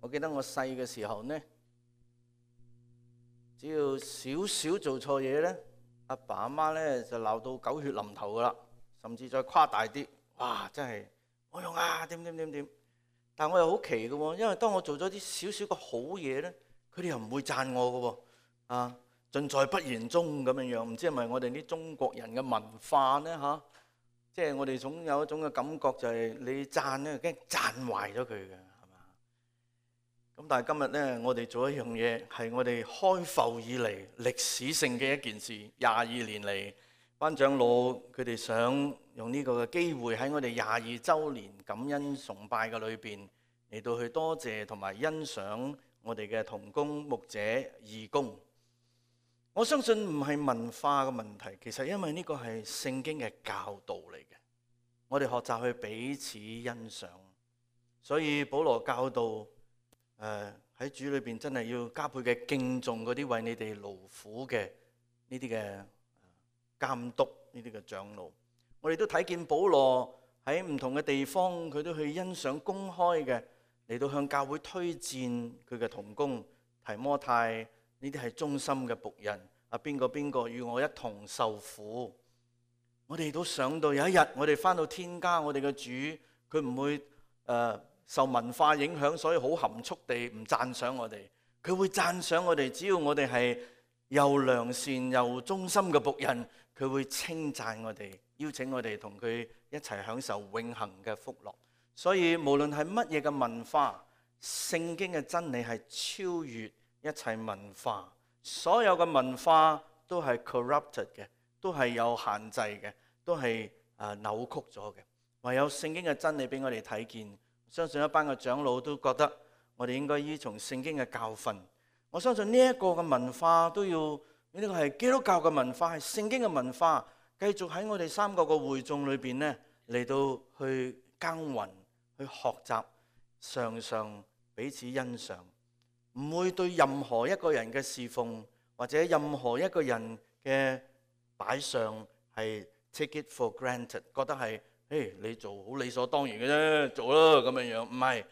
我記得我細嘅時候呢，只要少少做錯嘢呢，阿爸阿媽呢就鬧到狗血淋頭噶啦，甚至再誇大啲，哇！真係冇用啊，點。但我又好奇嘅喎，因為當我做咗啲少少嘅好嘢呢，佢哋又唔會讚我嘅喎，啊，盡在不言中咁樣樣，唔知係咪我哋啲中國人嘅文化呢？嚇？即係我哋總有一種嘅感覺，就係你讚呢，驚讚壞咗佢嘅，係嘛？咁但係今日呢，我哋做一樣嘢係我哋開埠以嚟歷史性嘅一件事，22年嚟，班長老佢哋想用呢個嘅機會喺我哋22週年感恩崇拜嘅裏邊嚟到去多謝同埋欣賞我哋嘅同工牧者義工。我相信唔係文化嘅問題，其實因為呢個係聖經嘅教導嚟嘅，我哋學習去彼此欣賞。所以保羅教導喺主裏邊真係要加倍嘅敬重嗰啲為你哋勞苦嘅呢啲嘅監督，呢啲嘅長老。我哋都睇見保羅喺唔同嘅地方，佢都去欣賞公開嘅嚟到向教會推薦佢嘅同工提摩太。呢啲係忠心嘅僕人，邊個與我一同受苦。我哋都想到有一日我哋返到天家，我哋嘅主佢唔會受文化影響，所以好含蓄地唔讚賞我哋。佢會讚賞我哋，只要我哋係又良善又忠心嘅僕人，佢會稱讚我哋，邀請我哋同佢一齊享受永恆嘅福樂。所以無論係乜嘢嘅文化，聖經嘅真理係超越一切文化，所有嘅文化都係 corrupted 嘅，都係有限制嘅，都係扭曲咗嘅。唯有聖經嘅真理俾我哋睇見，相信一班嘅長老都覺得我哋應該依從聖經嘅教訓。我相信呢一個嘅文化都要，呢個係基督教嘅文化，係聖經嘅文化，繼續喺我哋3個嘅會眾裏邊呢嚟到去耕耘、去學習，常常彼此欣賞。唔會對任何一個人嘅侍奉或者任何一個人嘅擺上係 take it for granted， 覺得係你做好理所當然嘅啫，做啦咁樣樣。唔係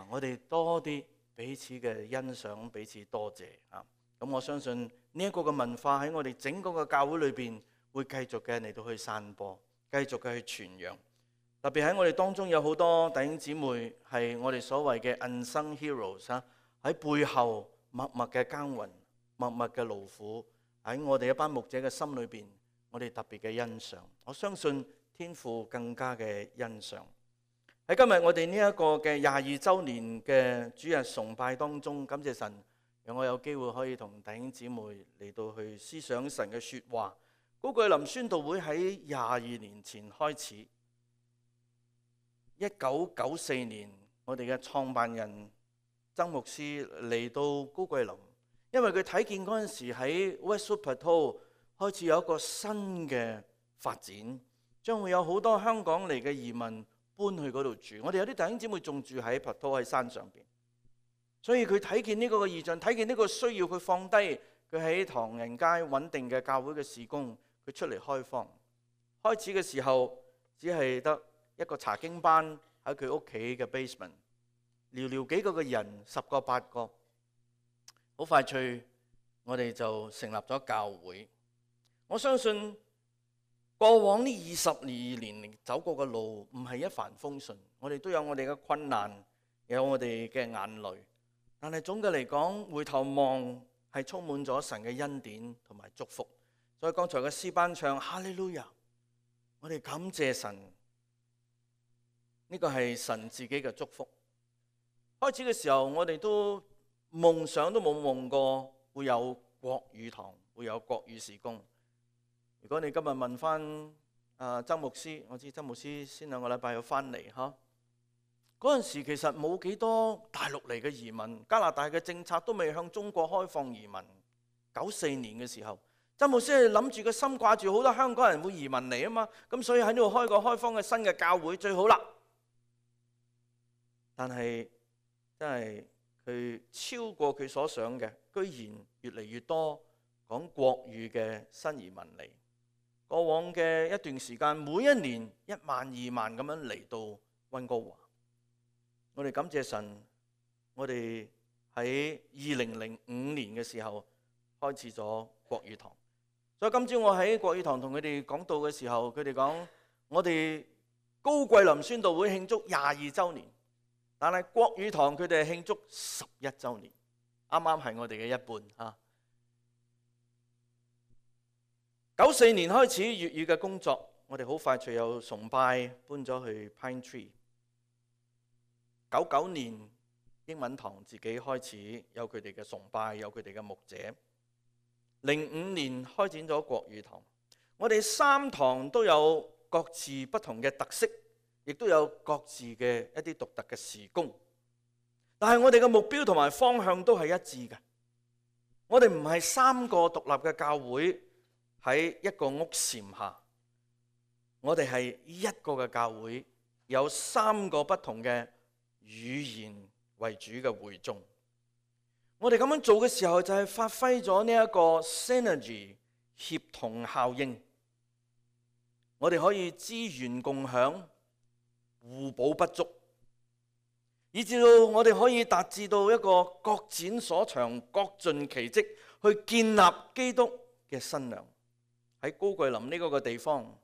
我哋多啲彼此嘅欣賞，彼此多謝啊。咁我相信呢一個嘅文化喺我哋整個嘅教會裏邊會繼續嘅嚟到去散播，繼續嘅去傳揚。特別喺我哋當中有好多弟兄姊妹係我哋所謂嘅 unsung heroes 啊。喺背後默默嘅耕耘，默默嘅勞苦，喺我哋一班牧者嘅心裏邊，我哋特別嘅欣賞。我相信天父更加嘅欣賞。喺今日我哋呢一個嘅22週年嘅主日崇拜當中，感謝神讓我有機會可以同弟兄姊妹嚟到去思想神嘅說話。高句林宣道會喺22年前開始，1994年我哋嘅創辦人曾牧師嚟到高桂林，因為佢睇見嗰陣時喺 Westwood Plateau 開始有一個新嘅發展，將會有好多香港嚟嘅移民搬去嗰度住。我哋有啲弟兄姊妹仲住喺 Plateau 喺山上邊，所以佢睇見呢個嘅異象，睇見呢個需要，佢放低佢喺唐人街穩定嘅教會嘅事工，佢出嚟開荒。開始嘅時候只係得一個查經班喺佢屋企嘅 basement。寥寥幾個嘅人，10個8個，好快脆，我哋就成立咗教會。我相信過往呢22年走過嘅路唔係一帆風順，我哋都有我哋嘅困難，有我哋嘅眼淚。但係總嘅嚟講，回頭望係充滿咗神嘅恩典同埋祝福。所以剛才嘅詩班唱哈利路亞，我哋感謝神，呢個係神自己嘅祝福。開始嘅時候，我哋都夢想都冇夢過會有國語堂，會有國語事工。如果你今日問翻曾牧師，我知曾牧師先2個禮拜有翻嚟嚇。嗰陣時其實冇幾多大陸嚟嘅移民，加拿大嘅政策都未向中國開放移民。94年嘅時候，曾牧師係諗住個心掛住好多香港人會移民嚟啊嘛，咁所以喺呢度開個開放嘅新嘅教會最好啦。但係真係佢超過佢所想嘅，居然越嚟越多講國語嘅新移民嚟。過往嘅一段時間，每一年1萬2萬咁樣嚟到溫哥華。我哋感謝神，我哋喺2005年嘅時候開始咗國語堂。所以今朝我喺國語堂同佢哋講道嘅時候，佢哋講我哋高桂林宣道會慶祝22週年，但係國語堂佢哋係慶祝11週年，啱啱係我哋嘅一半。94年開始粵語嘅工作，我哋好快隨有崇拜搬咗去 Pine Tree。99年英文堂自己開始有佢哋嘅崇拜，有佢哋嘅牧者。05年開展咗國語堂，我哋3堂都有各自不同嘅特色，亦都有各自嘅一啲獨特嘅事工。但係我哋嘅目標同埋方向都係一致嘅。我哋唔係3個獨立嘅教會喺一個屋檐下，我哋係一個嘅教會，有3個不同嘅語言為主嘅會眾。我哋咁樣做嘅時候，就係發揮咗呢一個 synergy 協同效應。我哋可以資源共享，互補不足，以至到我哋可以達至到一個各展所長、各盡其職，去建立基督嘅新娘。喺高桂林呢個地方，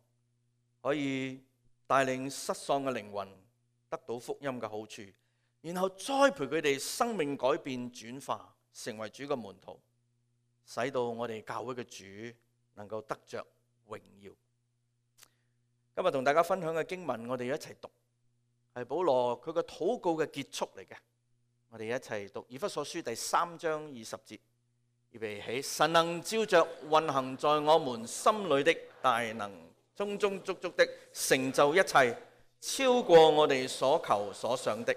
可以帶領失喪嘅靈魂得到福音嘅好處，然後栽培佢哋生命改變轉化，成為主嘅門徒，使到我哋教會嘅主能夠得着榮耀。今日同大家分享嘅經文，我哋一齊讀，係保羅佢個禱告嘅結束嚟嘅。我哋一齊讀以弗所書第3章20節，預備起，神能照着運行在我們心裏的大能，充充足足的成就一切，超過我哋所求所想的。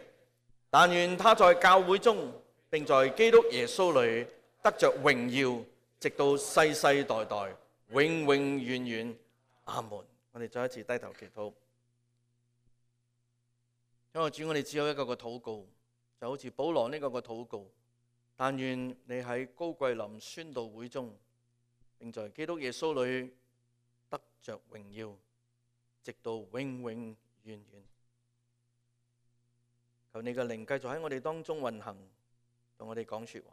但願他在教會中，並在基督耶穌裏得着榮耀，直到世世代代，永永遠遠。阿門。我哋再一次低頭祈禱。因為主，我哋只有一個嘅禱告，就好似保羅呢個嘅禱告。但願你喺高桂林宣道會中，並在基督耶穌裏得着榮耀，直到永永遠遠。求你嘅靈繼續喺我哋當中運行，同我哋講說話，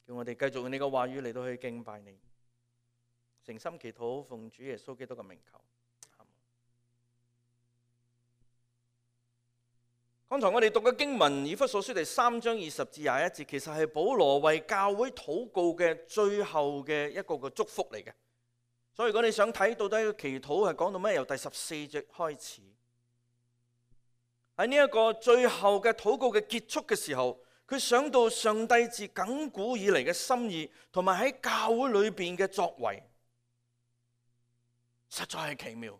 叫我哋繼續用你嘅話語嚟到去敬拜你。誠心祈禱，奉主耶穌基督嘅名求。剛才我哋讀嘅經文，以弗所書第3章20至21節，其實係保羅為教會禱告嘅最後嘅一個嘅祝福嚟嘅。所以如果你想睇到底個祈禱係講到咩，由第14節開始，喺呢一個最後嘅禱告嘅結束嘅時候，佢想到上帝自亙古以嚟嘅心意，同埋喺教會裏邊嘅作為，實在係奇妙。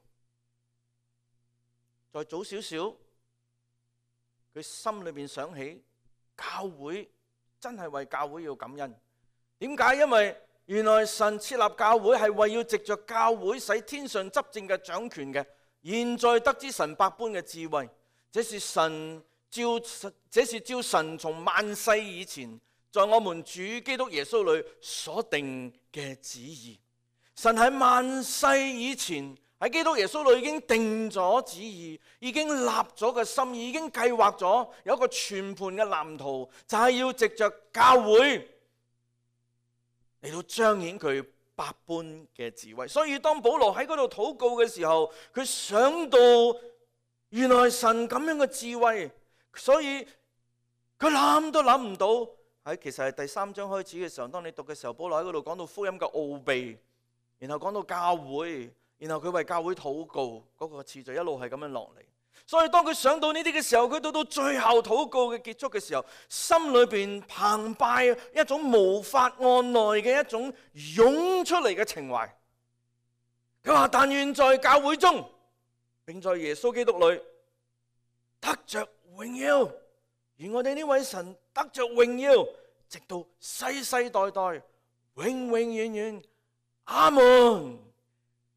再早少少，佢心裏邊想起教會，真係為教會要感恩。點解？因為原來神設立教會係為要藉着教會使天上執政嘅掌權嘅，現在得知神百般嘅智慧，這是照神從萬世以前在我們主基督耶穌裏所定嘅旨意。神喺萬世以前喺基督耶穌裏已經定咗旨意，已經立咗個心意，已經計劃咗有一個全盤嘅藍圖，就係要藉着教會嚟到彰顯佢百般嘅智慧。所以當保羅喺嗰度禱告嘅時候，佢想到原來神咁樣嘅智慧，所以佢諗都諗唔到。喺其實係第3章開始嘅時候，當你讀嘅時候，保羅喺嗰度講到福音嘅奧秘，然後講到教會，然後佢為教會禱告，嗰個次序一路係咁樣落嚟。所以當佢想到呢啲嘅時候，佢到最後禱告嘅結束嘅時候，心裏邊澎湃一種無法按捺嘅一種湧出嚟嘅情懷。佢話：但願在教會中，並在耶穌基督裏得着榮耀，而我哋呢位神得着榮耀，直到世世代代，永永遠遠。阿門。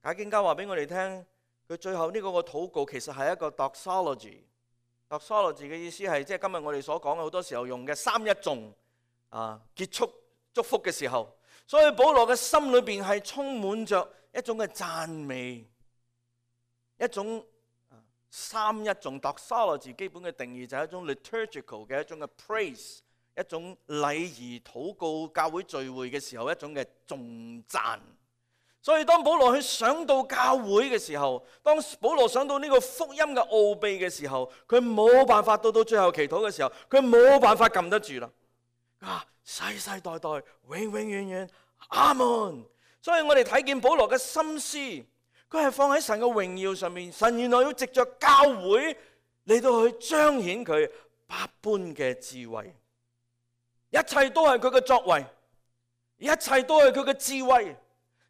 解經家話俾我哋聽，佢最後呢個禱告其實係一個 doxology。doxology 嘅意思係即係今日我哋所講嘅好多時候用嘅三一頌結束祝福嘅時候，所以保羅嘅心裏邊係充滿着一種嘅讚美，一種三一頌 doxology 基本嘅定義就係一種 liturgical 嘅一種嘅 praise， 一種禮儀禱告教會聚會嘅時候一種嘅頌讚。所以當保羅去想到教會嘅時候，當保羅想到呢個福音嘅奧秘嘅時候，佢冇辦法到最後祈禱嘅時候，佢冇辦法撳得住啦。世世代代永永遠遠阿門。所以我哋睇見保羅嘅心思，佢係放喺神嘅榮耀上面。神原來要藉着教會嚟到去彰顯佢百般嘅智慧，一切都係佢嘅作為，一切都係佢嘅智慧，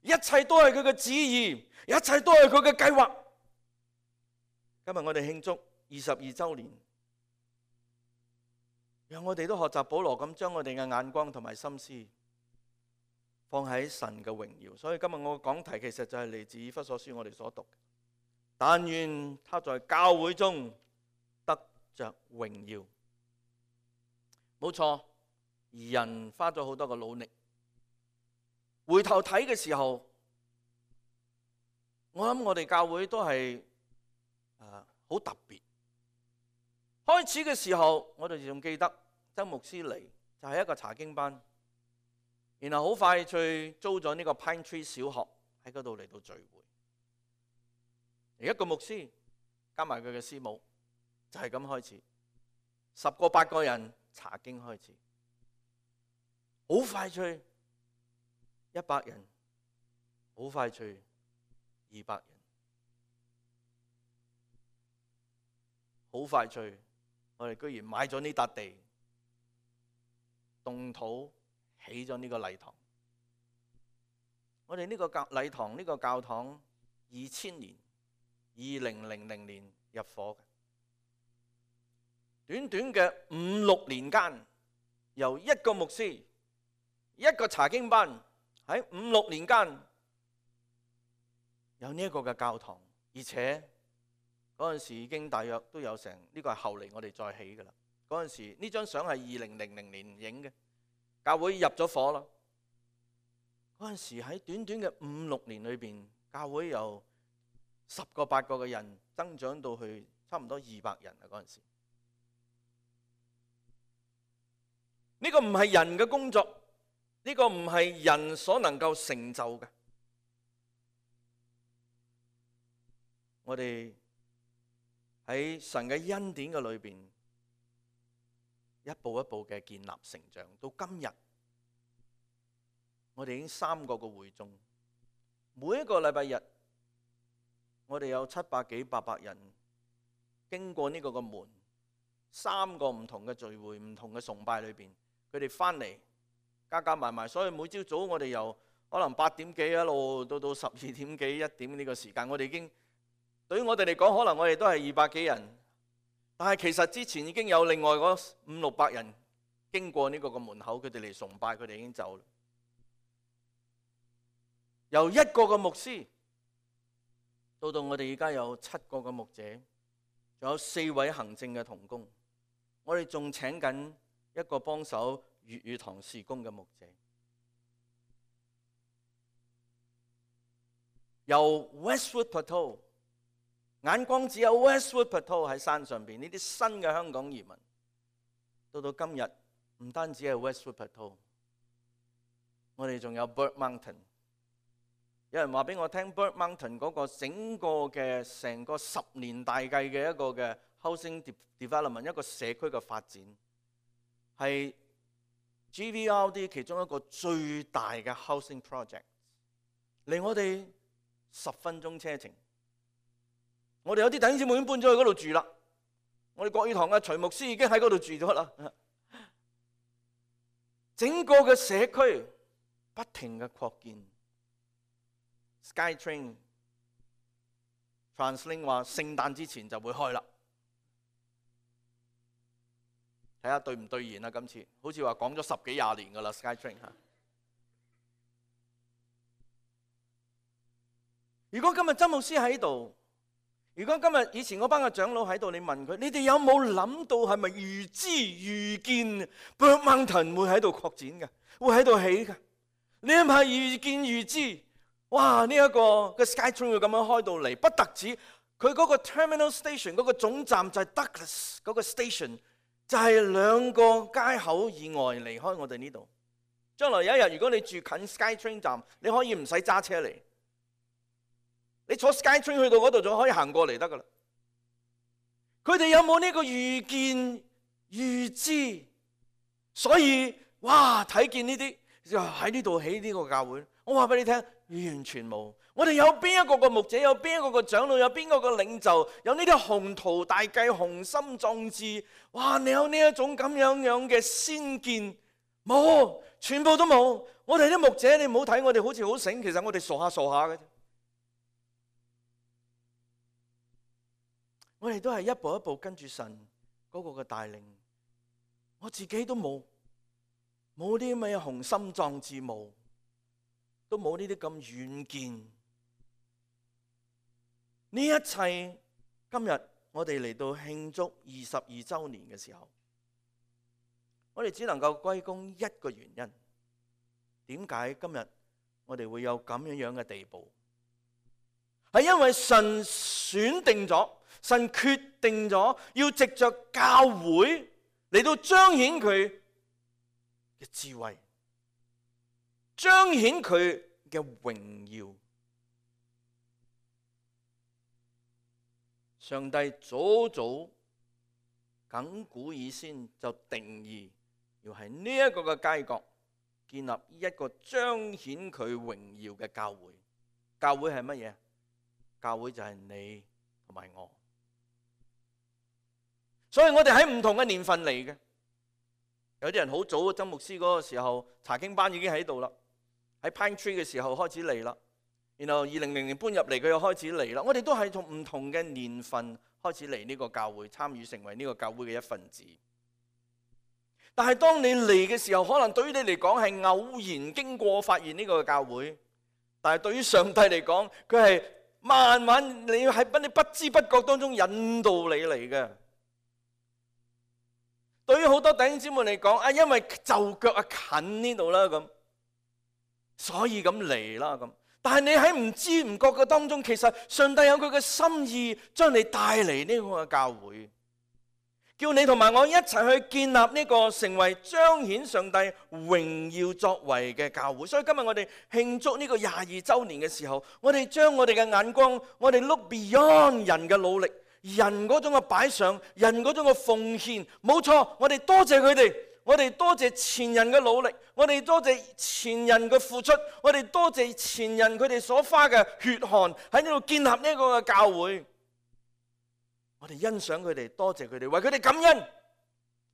一切都係佢嘅旨意，一切都係佢嘅計劃。今日我哋慶祝22週年，讓我哋都學習保羅咁，將我哋嘅眼光同埋心思放喺神嘅榮耀。所以今日我嘅講題其實就係嚟自以弗所書我哋所讀嘅。但願他在教會中得着榮耀。冇錯，人花咗好多嘅努力。回頭睇嘅時候，我諗我哋教會都係好特別。開始嘅時候，我哋仲記得周牧師嚟就係一個查經班，然後好快脆租咗呢個 Pine Tree 小學喺嗰度嚟到聚會。一個牧師加埋佢嘅師母就係咁開始，10個8個人查經開始，好快脆100人，好快脆200人，好快脆。我哋居然買咗呢笪地，動土起咗呢個禮堂。我哋呢個禮堂呢個教堂2000年2000年入伙嘅，短短嘅5、6年間，由一個牧師一個查經班喺5、6年間有呢一個嘅教堂，而且嗰陣時已經大約都有成，呢個係後嚟我哋再起㗎啦。嗰陣時呢張相係2000年影嘅，教會入咗伙啦。嗰陣時喺短短嘅5、6年裏邊，教會由10個8個嘅人增長到去差唔多200人啊！嗰陣時呢個唔係人嘅工作，呢個唔係人所能夠成就嘅。我哋喺神嘅恩典嘅裏邊，一步一步嘅建立成長，到今日，我哋已經3個嘅會眾，每一個禮拜日，我哋有700幾800人經過呢個嘅門，3個唔同嘅聚會、唔同嘅崇拜裏邊，佢哋翻嚟加埋埋，所以每朝早我哋由可能8點幾一路到12點幾1點呢個時間，我哋已經。對於我哋嚟講，可能我哋都係200幾人，但係其實之前已經有另外嗰5、600人經過呢個門口，佢哋嚟崇拜，佢哋已經走啦。由一個嘅牧師到我哋而家有7個嘅牧者，仲有4位行政嘅同工，我哋仲請緊一個幫手粵語堂事工嘅牧者。由 Westwood Plateau。眼光只有 Westwood Plateau 喺山上邊，呢啲新嘅香港移民，到今日唔單止係 Westwood Plateau， 我哋仲有 Bird Mountain。有人話俾我聽 ，Bird Mountain 嗰個整個嘅成個10年大計嘅一個嘅 housing development， 一個社區嘅發展，係 GVRD 其中一個最大嘅 housing project， 離我哋10分鐘車程。我哋有啲弟兄姊妹已經搬咗去嗰度住啦。我哋國語堂嘅徐牧師已經喺嗰度住咗啦。整個嘅社區不停嘅擴建。SkyTrain TransLink 話聖誕之前就會開啦。睇下對唔對言啊？今次好似話講咗10幾20年噶啦 SkyTrain 嚇。如果今日曾牧師喺度，如果今日以前嗰班嘅長老喺度，你問佢：你哋有冇諗到係咪預知預見 Bird Mountain 會喺度擴展嘅，會喺度起嘅？你係咪預見預知？哇！呢一個嘅 SkyTrain 會咁樣開到嚟，不特止佢嗰個 terminal station 嗰個總站就係 Douglas 嗰個 station，就係2個街口以外離開我哋呢度。將來有一日，如果你住近 SkyTrain 站，你可以唔使揸車嚟，你坐 SkyTrain 去到嗰度就可以行過嚟得噶啦。佢哋有冇呢個預見預知？所以哇，睇見呢啲就喺呢度起呢個教會。我話俾你聽，完全冇。我哋有邊一個個牧者，有邊一個個長老，有邊個個領袖，有呢啲宏圖大計、雄心壯志。哇！你有呢一種咁樣嘅先見？冇，全部都冇。我哋啲牧者，你唔好睇我哋好似好醒，其實我哋傻下嘅啫。我哋都係一步一步跟住神嗰個嘅帶領。我自己都冇啲咩雄心壯志，都冇呢啲咁遠見。呢一切今日我哋嚟到慶祝22週年嘅時候，我哋只能夠歸功一個原因。點解今日我哋會有咁樣嘅地步？係因為神選定咗，神決定咗要藉着教會嚟到彰顯佢嘅智慧，彰顯佢嘅榮耀。上帝早早亙古以先就定義，要喺呢一個嘅街角建立一個彰顯佢榮耀嘅教會。教會係乜嘢？教會就係你同埋我。所以我哋喺唔同嘅年份嚟嘅。有啲人好早，曾牧師嗰個時候查經班已經喺度啦，喺 Pine Tree 嘅時候開始嚟啦。然後2000年搬入嚟，佢又開始嚟啦。我哋都係從唔同嘅年份開始嚟呢個教會，參與成為呢個教會嘅一份子。但係當你嚟嘅時候，可能對於你嚟講係偶然經過發現呢個教會，但係對於上帝嚟講，佢係慢慢你喺你不知不覺當中引導你嚟嘅。對於好多弟兄姊妹嚟講，因為就腳近呢度啦，咁所以咁嚟啦咁。但係你喺唔知唔覺嘅當中，其實上帝有佢嘅心意，將你帶嚟呢個教會，叫你同埋我一齊去建立呢個成為彰顯上帝榮耀作為嘅教會。所以今日我哋慶祝呢個22週年嘅時候，我哋將我哋嘅眼光，我哋 look beyond 人嘅努力，人嗰種嘅擺上，人嗰種嘅奉獻。冇錯，我哋多謝佢哋。我哋多謝前人嘅努力，我哋多謝前人嘅付出，我哋多謝前人佢哋所花嘅血汗喺呢度建立呢個嘅教會。我哋欣賞佢哋，多謝佢哋，為佢哋感恩。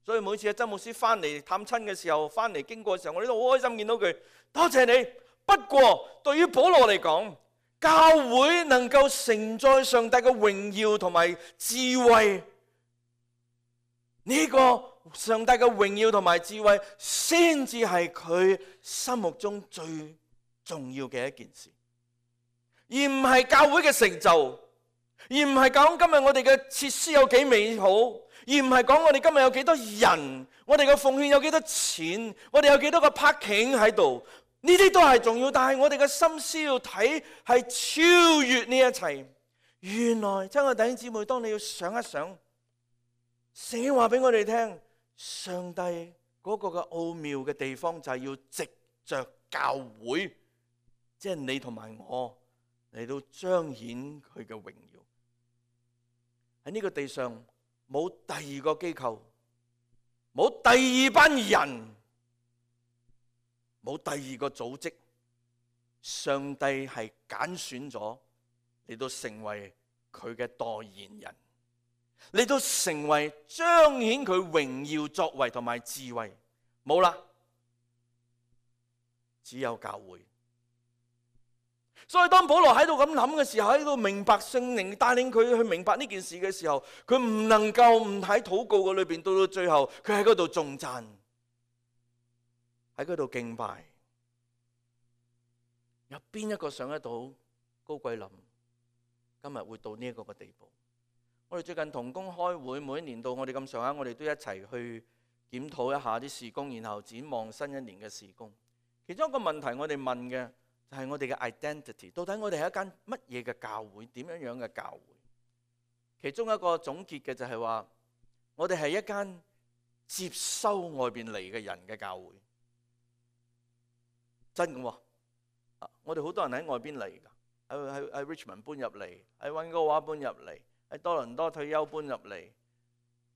所以每次阿曾牧師翻嚟探親嘅時候，翻嚟經過嘅時候，我哋都好開心見到佢，多謝你。不過對於保羅嚟講，教會能夠承載上帝嘅榮耀同埋智慧，呢個上帝嘅榮耀同埋智慧，先至係佢心目中最重要嘅一件事，而唔係教會嘅成就，而唔係講今日我哋嘅設施有幾美好，而唔係講我哋今日有幾多人，我哋嘅奉獻有幾多錢，我哋有幾多個 parking 喺度，呢啲都係重要。但係我哋嘅心思要睇係超越呢一切。原來親愛的弟兄姊妹，當你要想一想，聖經話俾我哋聽，上帝嗰個嘅奧妙嘅地方就係要藉着教會，即係你同埋我嚟到彰顯佢嘅榮耀。喺呢個地上冇第二個機構，冇第二班人，冇第二個組織，上帝係揀選咗嚟到成為佢嘅代言人，嚟到成為彰顯佢榮耀作為同埋智慧。冇啦，只有教會。所以當保羅喺度咁諗嘅時候，喺度明白聖靈帶領佢去明白呢件事嘅時候，佢唔能夠唔喺禱告嘅裏邊，到到最後佢喺嗰度頌讚，喺嗰度敬拜。有邊一個想得到高桂林今日會到呢一個嘅地步？我哋最近同工開會，每一年到我哋咁上下，我哋都一齊去檢討一下啲事工，然後展望新一年嘅事工。其中一個問題我哋問嘅就係我哋嘅 identity， 到底我哋係一間乜嘢嘅教會，點樣樣嘅教會？其中一個總結嘅就係話，我哋係一間接收外邊嚟嘅人嘅教會，真嘅喎。我哋好多人喺外邊嚟㗎，喺 Richmond 搬入嚟，喺溫哥華搬入嚟，喺多倫多退休搬入嚟，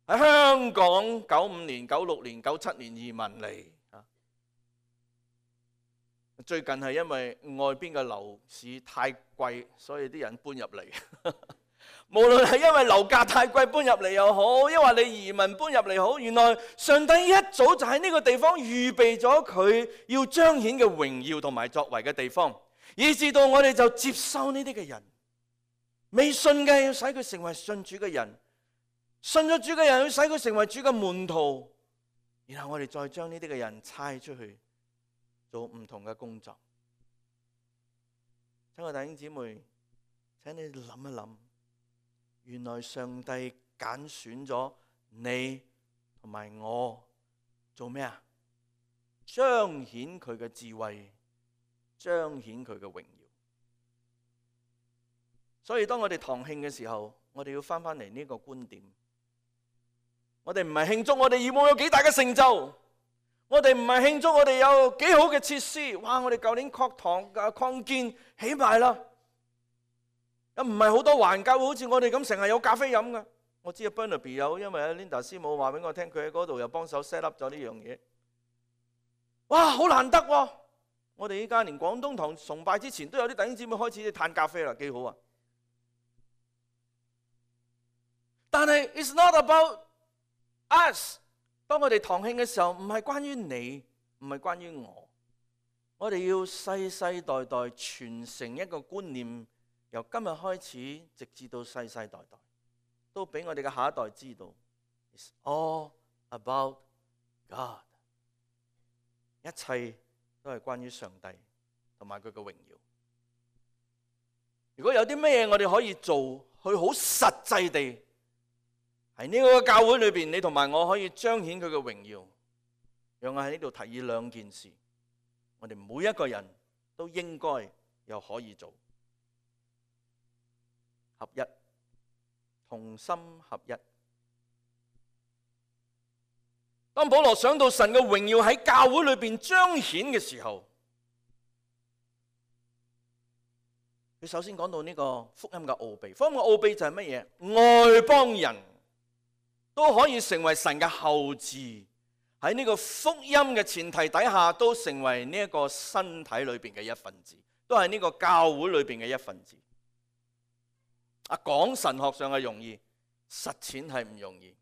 喺香港95年、96年、97年移民嚟。最近係因為外邊嘅樓市太貴，所以啲人搬入嚟。無論係因為樓價太貴搬入嚟又好，抑或你移民搬入嚟好，原來上帝一早就喺呢個地方預備咗佢要彰顯嘅榮耀同埋作為嘅地方，以至到我哋就接收呢啲嘅人。未信嘅要使佢成為信主嘅人，信咗主嘅人要使佢成為主嘅門徒，然後我哋再將呢啲嘅人差出去做唔同嘅工作。親愛弟兄姊妹，請你諗一諗，原來上帝揀選咗你同埋我做咩啊？彰顯佢嘅智慧，彰顯佢嘅榮耀。所以當我哋堂慶嘅時候，我哋要翻嚟呢個觀點。我哋唔係慶祝我哋義務有幾大嘅成就，我哋唔係慶祝我哋有幾好嘅設施。哇！我哋舊年擴堂擴建起埋啦，唔係好多環教會好似我哋咁成日有咖啡飲噶。我知阿 Burnaby 有，因為阿 Linda 師母話俾我聽，佢喺嗰度又幫手 set up 咗呢樣嘢。哇！好難得喎！我哋依家連廣東堂崇拜之前都有啲弟兄姊妹開始嘆咖啡啦，幾好啊！但係 it's not about us。當我哋堂慶嘅時候，唔係關於你，唔係關於我。我哋要世世代代傳承一個觀念，由今日開始，直至到世世代代，都俾我哋嘅下一代知道 ，It's all about God。一切都係關於上帝同埋佢嘅榮耀。如果有啲咩我哋可以做，去好實際地喺呢個教會裏邊，你同埋我可以彰顯佢嘅榮耀。讓我喺呢度提議兩件事，我哋每一個人都應該又可以做。合一，同心合一。當保羅想到神嘅榮耀喺教會裏邊彰顯嘅時候，佢首先講到呢個福音嘅奧秘。福音嘅奧秘就係乜嘢？外邦人都可以成為神嘅後嗣，喺呢個福音嘅前提底下，都成為呢一個身體裏邊嘅一份子，都係呢個教會裏邊嘅一份子。講神學上係容易，實踐係唔容易。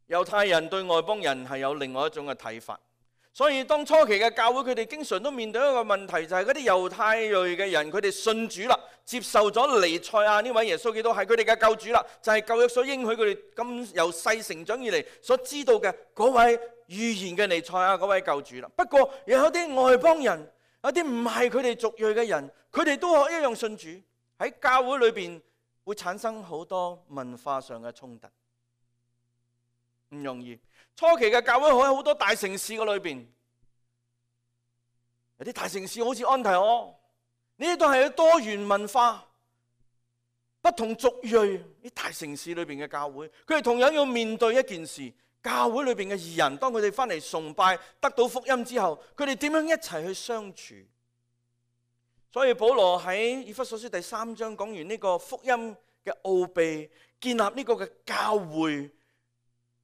猶太人對外邦人係有另外一種嘅睇法，所以當初期嘅教會，佢哋經常都面對一個問題，就係嗰啲猶太裔嘅人，佢哋信主啦，接受咗彌賽亞呢位耶穌基督係佢哋嘅救主啦，就係舊約所應許佢哋咁由細成長以嚟所知道嘅嗰位預言嘅彌賽亞嗰位救主啦。不過又有啲外邦人，有啲唔係佢哋族裔嘅人，佢哋都一樣信主，喺教會裏邊會產生好多文化上嘅衝突。唔容易。初期嘅教會喺好多大城市嘅裏邊，有啲大城市好似安提阿，呢啲都係多元文化、不同族裔啲大城市裏邊嘅教會，佢哋同樣要面對一件事：教會裏邊嘅義人，當佢哋翻嚟崇拜得到福音之後，佢哋點樣一齊去相處？所以保羅喺以弗所書第3章講完呢個福音嘅奧秘，建立呢個嘅教會。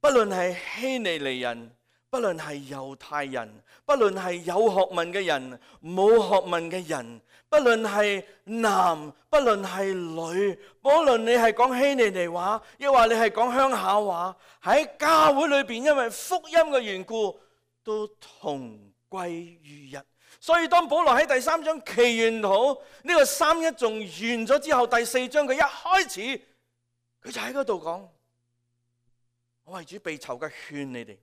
不論係希利尼人，不論係猶太人，不論係有學問嘅人、冇學問嘅人，不論係男，不論係女，無論你係講希利尼話，亦或你係講鄉下話，喺教會裏邊，因為福音嘅緣故，都同歸於一。所以當保羅喺第3章祈願好呢個三一頌完咗之後，第4章佢一開始，佢就喺嗰度講。我為主被囚嘅，勸你哋，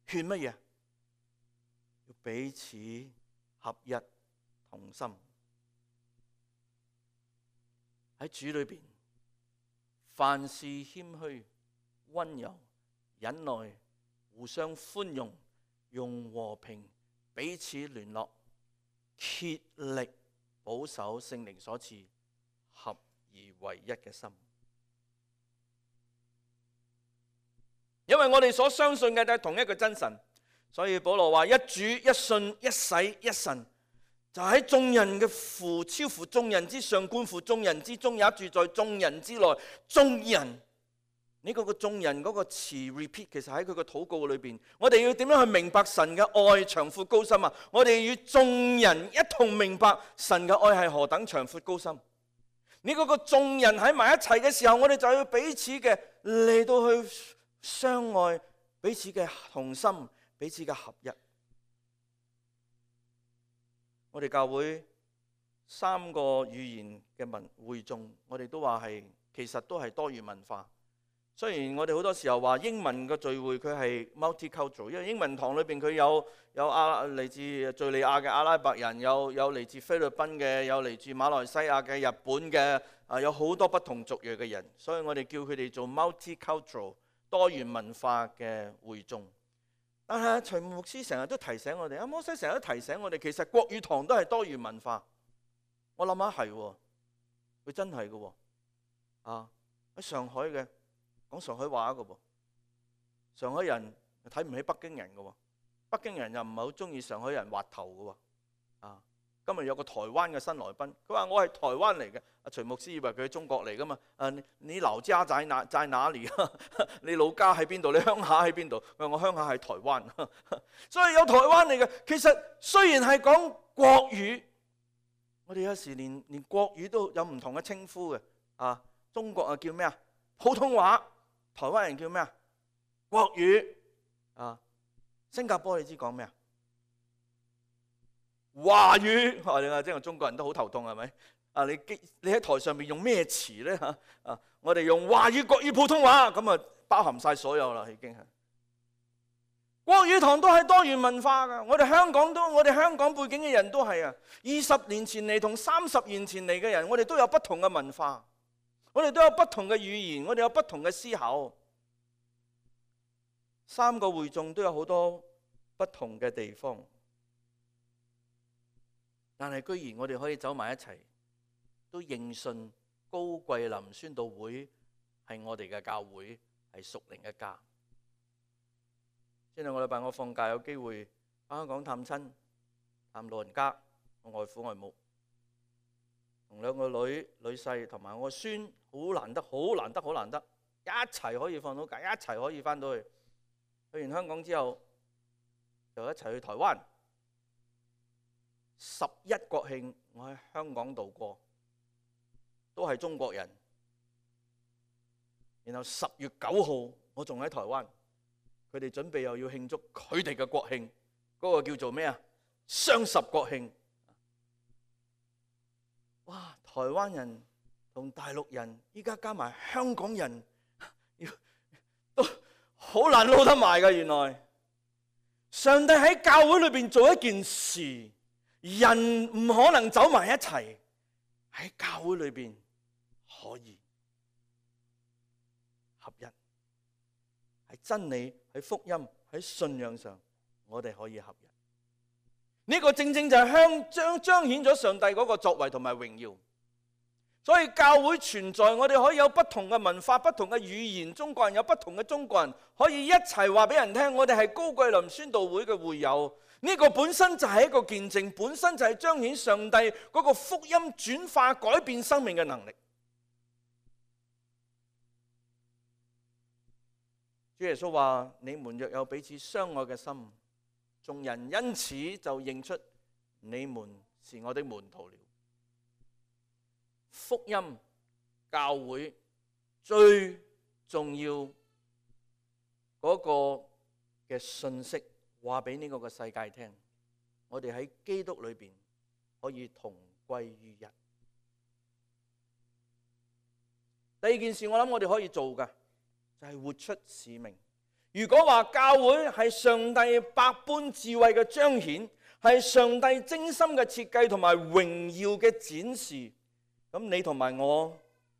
勸乜嘢？要彼此合一同心。喺主裏邊，凡事謙虛、溫柔、忍耐，互相寬容，用和平彼此聯絡，竭力保守聖靈所賜合而為一嘅心。因為我哋所相信嘅都係同一個真神。所以保羅話：一主、一信、一洗、一神，就喺眾人嘅父，超乎眾人之上，貫乎眾人之中，也住在眾人之內。眾人呢個眾人嗰個詞 repeat， 其實喺佢個禱告裏邊，我哋要點樣去明白神嘅愛長闊高深啊？我哋與眾人一同明白神嘅愛係何等長闊高深。呢個眾人喺埋一齊嘅時候，我哋就要彼此嘅嚟到去相愛，彼此嘅同心，彼此嘅合一。我哋教會3個語言嘅會眾，我哋都話係其實都係多元文化。雖然我哋好多時候話英文嘅聚會佢係 multicultural， 因為英文堂裏邊佢有嚟自敘利亞嘅阿拉伯人，有嚟自菲律賓嘅，有嚟自馬來西亞嘅、日本嘅，有好多不同族裔嘅人，所以我哋叫佢哋做 multicultural 多元文化嘅會眾。但係徐牧師成日都提醒我哋，阿摩西成日都提醒我哋，其實國語堂都係多元文化。我諗下係喎，佢真係嘅喎，喺上海嘅。講上海話嘅噃，上海人睇唔起北京人嘅喎，北京人又唔係好中意上海人滑頭嘅喎。今日有個台灣嘅新來賓，佢話我係台灣嚟嘅。徐牧師以為佢係中國嚟噶嘛？你老家在哪裏？你老家喺邊度？你鄉下喺邊度？佢話我鄉下喺台灣，所以有台灣嚟嘅。其實雖然係講國語，我哋有時連國語都有唔同嘅稱呼嘅。中國叫咩啊？普通話。台灣人叫咩啊？國語。新加坡你知講咩啊？華語。你話即係中國人都好頭痛係咪？你喺台上面用咩詞咧嚇？我哋用華語、國語、普通話，咁啊包含晒所有啦，已經係。國語堂都係多元文化噶，我哋香港背景嘅人都係啊。20年前嚟同30年前嚟嘅人，我哋都有不同嘅文化。我哋都有不同嘅語言，我哋有不同嘅思考。3個會眾都有好多不同嘅地方，但係居然我哋可以走埋一齊，都認信高桂林宣道會係我哋嘅教會，係屬靈嘅家。前兩個禮拜我放假有機會返香港探親，探老人家，我外父外母。同2個女婿同埋我個孫，好難得，一齊可以放到假，一齊可以翻到去。去完香港之後，就一齊去台灣。11國慶，我喺香港度過，都係中國人。然後10月9號，我仲喺台灣，佢哋準備又要慶祝佢哋嘅國慶，嗰個叫做咩啊？雙十國慶。哇！台灣人同大陸人，依家加埋香港人，都好難撈得埋㗎。原來上帝喺教會裏邊做一件事，人唔可能走埋一齊，喺教會裏邊可以合一，喺真理、喺福音、喺信仰上，我哋可以合一。呢個正正就係彰顯咗上帝嗰個作為同埋榮耀。所以教會存在，我哋可以有不同嘅文化、不同嘅語言，中國人有不同嘅中國人，可以一齊話俾人聽，我哋係高桂林宣道會嘅會友。呢個本身就係一個見證，本身就係彰顯上帝嗰個福音轉化改變生命嘅能力。主耶穌話：你們若有彼此相愛嘅心，眾人因此就認出你們是我的門徒了。福音教會最重要嗰個嘅信息，話俾呢個嘅世界聽，我哋喺基督裏邊可以同歸於一。第二件事，我諗我哋可以做嘅就係活出使命。如果話教會係上帝百般智慧嘅彰顯，係上帝精心嘅設計同埋榮耀嘅展示，咁你同埋我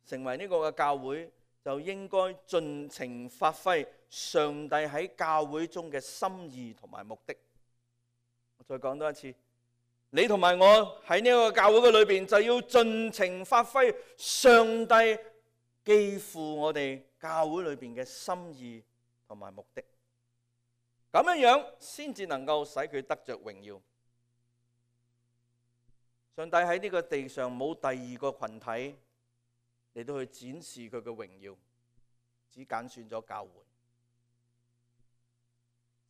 成為呢個嘅教會，就應該盡情發揮上帝喺教會中嘅心意同埋目的。我再講多一次，你同埋我喺呢個教會嘅裏邊，就要盡情發揮上帝寄付我哋教會裏邊嘅心意同埋目的，咁樣先至能夠使佢得着榮耀。上帝喺呢個地上冇第二個群體嚟到去展示佢嘅榮耀，只揀選咗教會。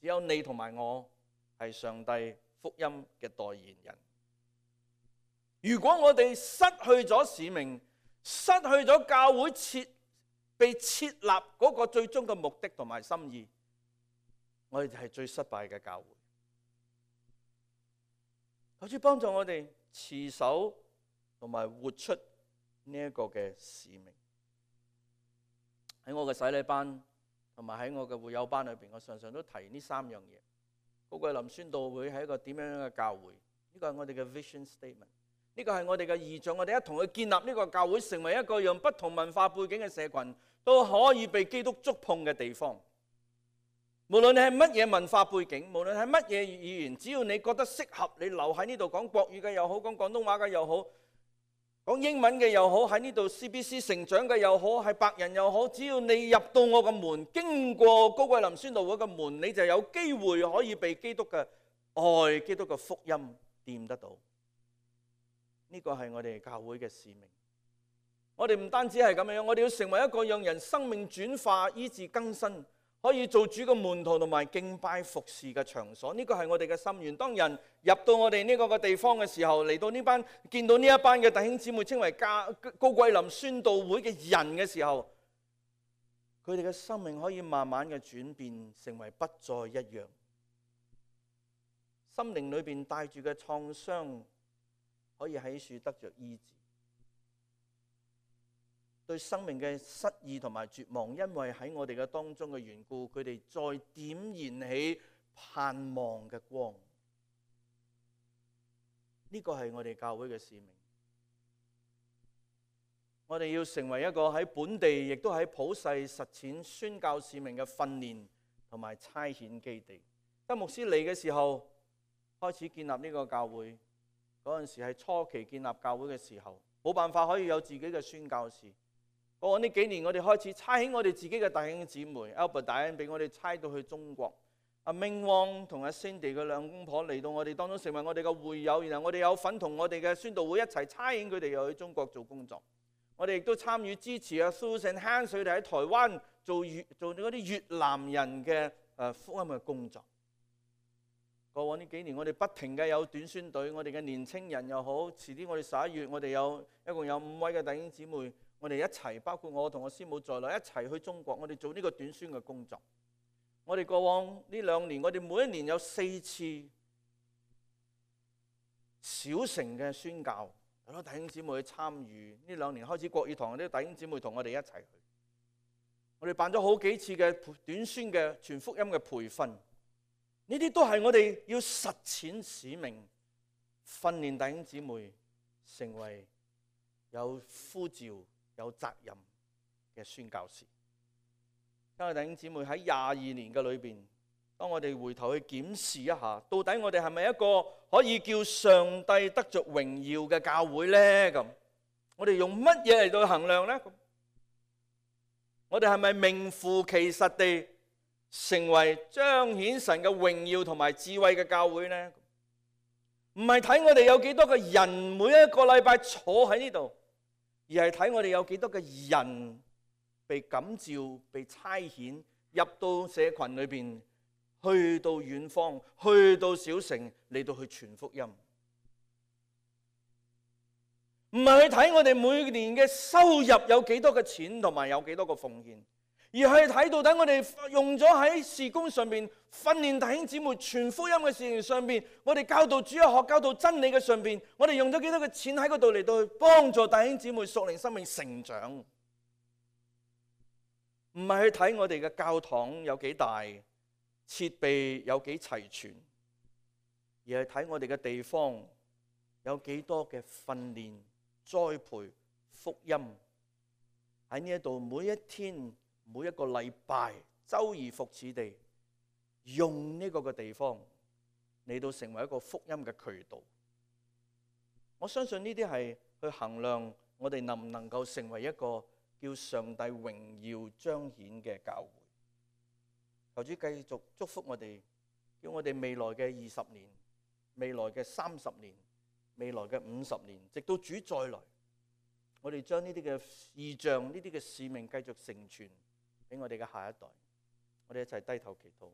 只有你同埋我係上帝福音嘅代言人。如果我哋失去咗使命，失去咗教會被設立嗰個最終嘅目的同埋心意，我哋就係最失敗嘅教會。求主幫助我哋持守同埋活出呢一個嘅使命。喺我嘅洗禮班同埋喺我嘅會友班裏邊，我常常都提呢三樣嘢。高貴林宣道會係一個點樣嘅教會？呢個係我哋嘅 vision statement， 呢個係我哋嘅異象。我哋一同去建立呢個教會，成為一個讓不同文化背景嘅社群都可以被基督觸碰嘅地方。無論你係乜嘢文化背景，無論係乜嘢語言，只要你覺得適合，你留喺呢度講國語嘅又好，講廣東話嘅又好，講英文嘅又好，喺呢度 CBC 成長嘅又好，係白人又好，只要你入到我個門，經過高貴林宣道會嘅門，你就有機會可以被基督嘅愛、基督嘅福音掂得到。呢個係我哋教會嘅使命。我哋唔單止係咁樣，我哋要成為一個讓人生命轉化、醫治更新，可以做主嘅門徒同埋敬拜服侍嘅場所。呢個係我哋嘅心願。當人入到我哋呢個嘅地方嘅時候，嚟到呢班見到呢一班嘅弟兄姊妹稱為高貴林宣道會嘅人嘅時候，佢哋嘅生命可以慢慢嘅轉變，成為不再一樣。心靈裏邊帶住嘅創傷可以喺處得着醫治。對生命嘅失意同埋絕望，因為喺我哋嘅當中嘅緣故，佢哋再點燃起盼望嘅光。呢個係我哋教會嘅使命。我哋要成為一個喺本地，亦都喺普世實踐宣教使命嘅訓練同埋差遣基地。當牧師嚟嘅時候，開始建立呢個教會，嗰陣時係初期建立教會嘅時候，冇辦法可以有自己嘅宣教士。過往呢幾年，我哋開始差遣我哋自己嘅弟兄姊妹 Albert 大恩俾我哋差到去中國。阿明旺同阿 Cindy 嘅兩公婆嚟到我哋當中，成為我哋嘅會友。然後我哋有份同我哋嘅宣道會一齊差遣佢哋又去中國做工作。我哋亦都參與支持阿 Susan Han 佢哋喺台灣做嗰啲越南人嘅福音嘅工作。過往呢幾年，我哋不停嘅有短宣隊，我哋嘅年青人又好，遲啲我哋11月，我哋一共有5位嘅弟兄姊妹。我哋一齊，包括我同我師母在內，一齊去中國，我哋做呢個短宣嘅工作。我哋過往呢2年，我哋每一年有4次小城嘅宣教，好多弟兄姊妹去參與。呢2年開始國語堂啲弟兄姊妹同我哋一齊去。我哋辦咗好幾次嘅短宣嘅全福音嘅培訓，呢啲都係我哋要實踐使命，訓練弟兄姊妹成為有呼召、有責任嘅宣教士。今日弟兄姊妹喺22年嘅裏邊，當我哋回頭去檢視一下，到底我哋係咪一個可以叫上帝得着榮耀嘅教會呢？咁我哋用乜嘢嚟到衡量呢？我哋係咪名副其實地成為彰顯神嘅榮耀同埋智慧嘅教會呢？唔係睇我哋有幾多個人每一個禮拜坐喺呢度，而係睇我哋有幾多個人被感召、被差遣入到社群裏邊，去到遠方，去到小城嚟到去傳福音。唔係去睇我哋每年嘅收入有幾多嘅錢同埋有幾多個奉獻，而係睇到底我哋用咗喺事工上面訓練弟兄姊妹傳福音嘅事情上邊，我哋教導主日學、教導真理嘅上邊，我哋用咗幾多嘅錢喺嗰度嚟到去幫助弟兄姊妹屬靈生命成長。唔係去睇我哋嘅教堂有幾大，設備有幾齊全，而係睇我哋嘅地方有幾多嘅訓練、栽培、福音喺呢一度，每一天、每一個禮拜，周而復始地用呢個嘅地方嚟到成為一個福音嘅渠道。我相信呢啲係去衡量我哋能唔能夠成為一個叫上帝榮耀彰顯嘅教會。求主繼續祝福我哋，叫我哋未來嘅20年、未來嘅30年、未來嘅50年，直到主再來，我哋將呢啲嘅異象、呢啲嘅使命繼續承傳俾我哋嘅下一代。我哋一齊低頭祈禱。